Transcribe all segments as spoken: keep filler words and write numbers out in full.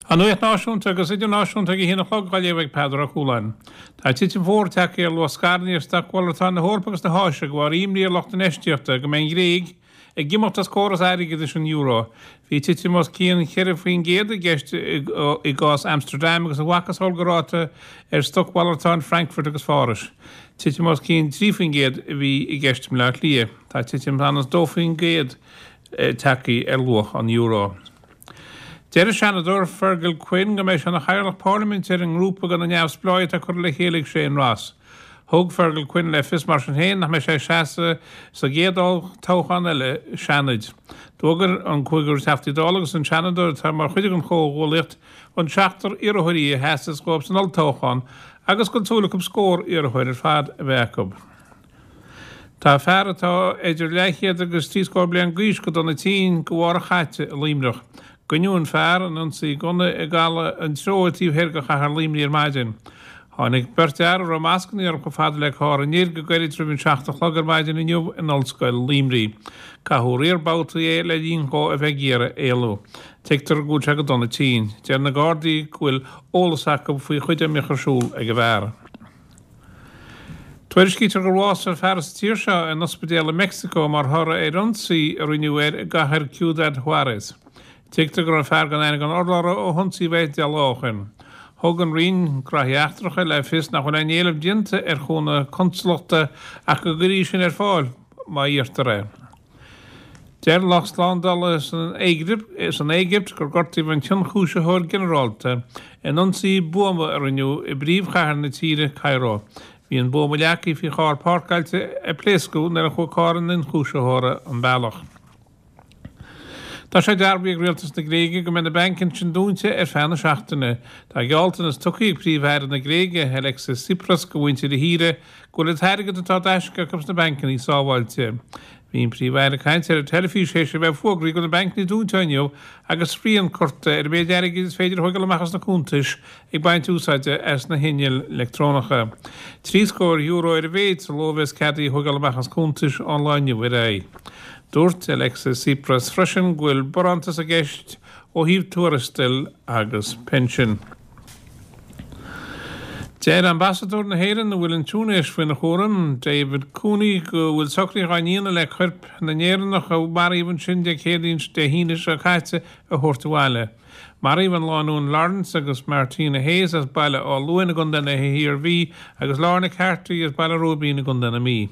An nuacht náisiúnta agus idirnáisiúnta ag a haon a chlog á léamh ag Peadar Ó Cualáin. Tá titim mhór tagtha ar luach scaireanna ar stocmhalartáin na hEorpa agus na hÁise de bharr imní ar lucht infheistíochta go mbeidh an Ghréig ag imeacht as córas airgeadais an euro. Bhí titim os cionn cheithre faoin gcéad i gceist i gcás Amsterdam agus a mhacasamhail den ráta ar stocmhalartáin Frankfurt agus Pháras. Titim os cionn trí faoin gcéad a bhí i gceist i mBleá Cliath. Tá titim anuas dó faoin gcéad tagtha ar luach an euro. Deir an Seanadóir Fergal Quinn go mbeidh sé ina chathaoirleach parlaiminte ar an ngrúpa de na neamhspleáigh atá curtha le chéile ag Shane Ross. Thug Fergal Quinn le fios mar sin féin nach mbeidh sé ag seasamh sa gcéad toghchán eile Seanaid. D'fhógair an cúigear Teachtaí Dála agus an Seanadóir atá mar chuid den chomhghuaillíocht an seachtar iarrthóirí a sheasfas dhóibh san olltoghchán agus go bhfuil súil acu scór iarrthóir ar fad a bheith acu. Tá fear atá idir leathchéad agus trí scór bliain d'aois go dona tinn de bharr a chaite i Luimneach. Goineadh an fear in ionsaí gunna i gCaladh an Treo taobh thoir de chathair Luimnigh ar maidin. Tháinig beirt fhear a raibh mascanna orthu chomh fada le carr an fhir go gairid roimh an seacht a chlog ar maidin inniu in Ollscoil Luimnigh. Caitheadh riar babhtaí é le linn dó a bheith ag iarraidh éalú. Tuigtear go bhfuil sé go dona tinn. Deir na Gardaí go bhfuil eolas acu faoi chuid dá mbíodh ar siúl ag an bhfear. Tuairiscítear gur bhásaigh fear sa tír seo in ospidéal i Meicsiceo mar thoradh ar ionsaí a rinneadh air i gcathair Ciudad Juarez. Tuigtear go raibh fear gan aithne gan urlabhra ó hionsaíodh é deich lá ó shin. Thug an Roinn Gnóthaí Eachtracha le fios nach bhfuil aon éileamh déanta ar chúnamh consalachta ach go gcuirfí sin ar fáil má iarrtar é. Deir lucht slándála san Éigipt gur gortaíodh an t-ionchúisitheoir ginearálta in ionsaí buama a rinneadh i bpríomhchathair na tíre, Cairo. Bhí an buama leagtha faoi charr páirceáilte a pléascadh nuair a chuaigh carr an ionchúisitheora an bealach. Tá sé dearbhaithe ag rialtas na Gréige go mbeidh na bainc ansin dúnta ar feadh na seachtaine. Tá gealltanas tugtha ag Príomh-Aire na Gréige, Alexis Tsipras, do mhuintir na tíre go bhfuil an t-airgead atá d'aisce acu sna bancanna sábháilte. Bhí an Príomh-Aire ag caint ar an teilifís théis a bheith fógraithe go bhfuil na bancanna dúnta inniu agus srian curtha ar an méid airgid is féidir a thógáil amach as na cuntais ag baint úsáide as na hinnill leictreonacha. Trí scór euro ar a mhéid sa ló a bheas ceadaithe a thógáil amach as cuntais ón lá inniu ar aghaidh. Dúirt Alexis Tsipras freisin go bhfuil barántas i gceist ó thaobh tuarastail agus pinsin. Deir ambasadóir na hÉireann a bhfuil an Túinéis faoina chúram, David Cooney, go bhfuil socruithe á ndéanamh le coirp na nÉireannach a maraíodh ansin Dé Céadaoin Dé hAoine seo caite a thabhairt abhaile. Maraíodh an lánúin Lawrence agus Martina Hayes as Baile Átha Luain i gContae na hIarmhí agus Lorna Carty as Baile Róibín i gContae na Mí.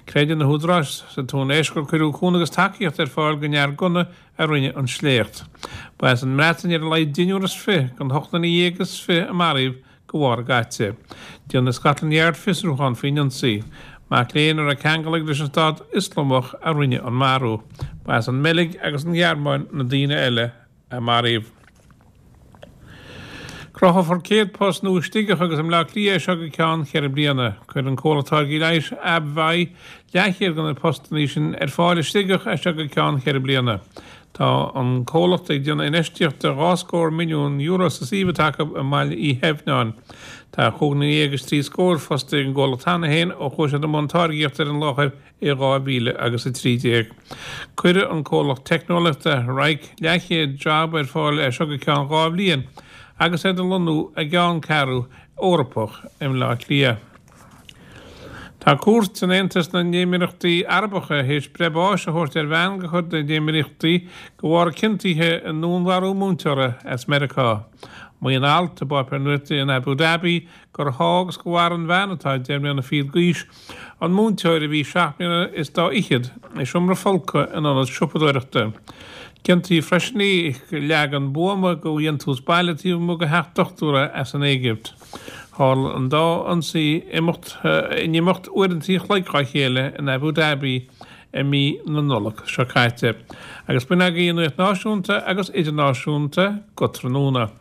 Creideann na húdaráis sa Túinéis gur cuireadh cúnamh agus tacaíocht ar fáil don fhear gunna a rinne an sléacht. Ba as an mBreatain ar a laghad deichniúr is fiche den ocht nduine dhéag is fiche a maraíodh de bharr a gcaite. Déanfaidh Scotland Yard fiosrúchán faoin ionsaí. Mac léinn a raibh ceangal aige leis an Stát Ioslamach a rinne an marú. Ba as an mBeilg agus an Ghearmáin na daoine eile a maraíodh. Cruthófar céad post nua i Sligeach agus i mBleá Cliath seo go ceann ceithre bliana. Cuirfidh an comhlacht táirgí leighis AbbVie leathchéad de na postanna sin ar fáil i Sligeach seo go ceann ceithre bliana. Tá an comhlacht ag déanamh infheistíochta dhá scór milliún euro sa suíomh atá acu i mBaile Uí Theimhneáin. Tá cúig dhuine déag is trí scór fostaithe ag an gcomhlacht cheana féin ó chuaigh siad i mbun táirgíochta ar an láthair i dhá mhíle agus a trí déag. Cuirfidh an comhlacht teicneolaíochta Wrike leathchéad job ar fáil é seo go ceann dhá bhliain agus é ag lonnú i gceanncheathrú Eorpach i mBleá Cliath. Tá cúirt in Aontas na nÉimíríochtaí Arabacha théis breith báis a thabhairt ar bhean de chuid na nÉimíríochtaí de bharr a ciontaithe i ndúnmharú múinteora as Meiriceá. Maíonn alt i bpáipéar nuachta in Abu Dhabi gur sháigh agus gur mharaigh an bhean atá deich mbliana fichead d'aois an múinteoir a bhí seacht mbliana is dá fhichead i seomra folctha in ionad siopadóireachta. Ciontaíodh freisin í leagan buama de dhéantús baile taobh amuigh de theach dochtúra as an Éigipt. Tharla an dá ionsaí imeacht in imeacht uaireanta an chloig dá chéile in Abu Dhabi i mí na Nollag seo caite. Agus b'in agaibh an nuacht náisiúnta agus idirnáisiúnta go tráthnóna.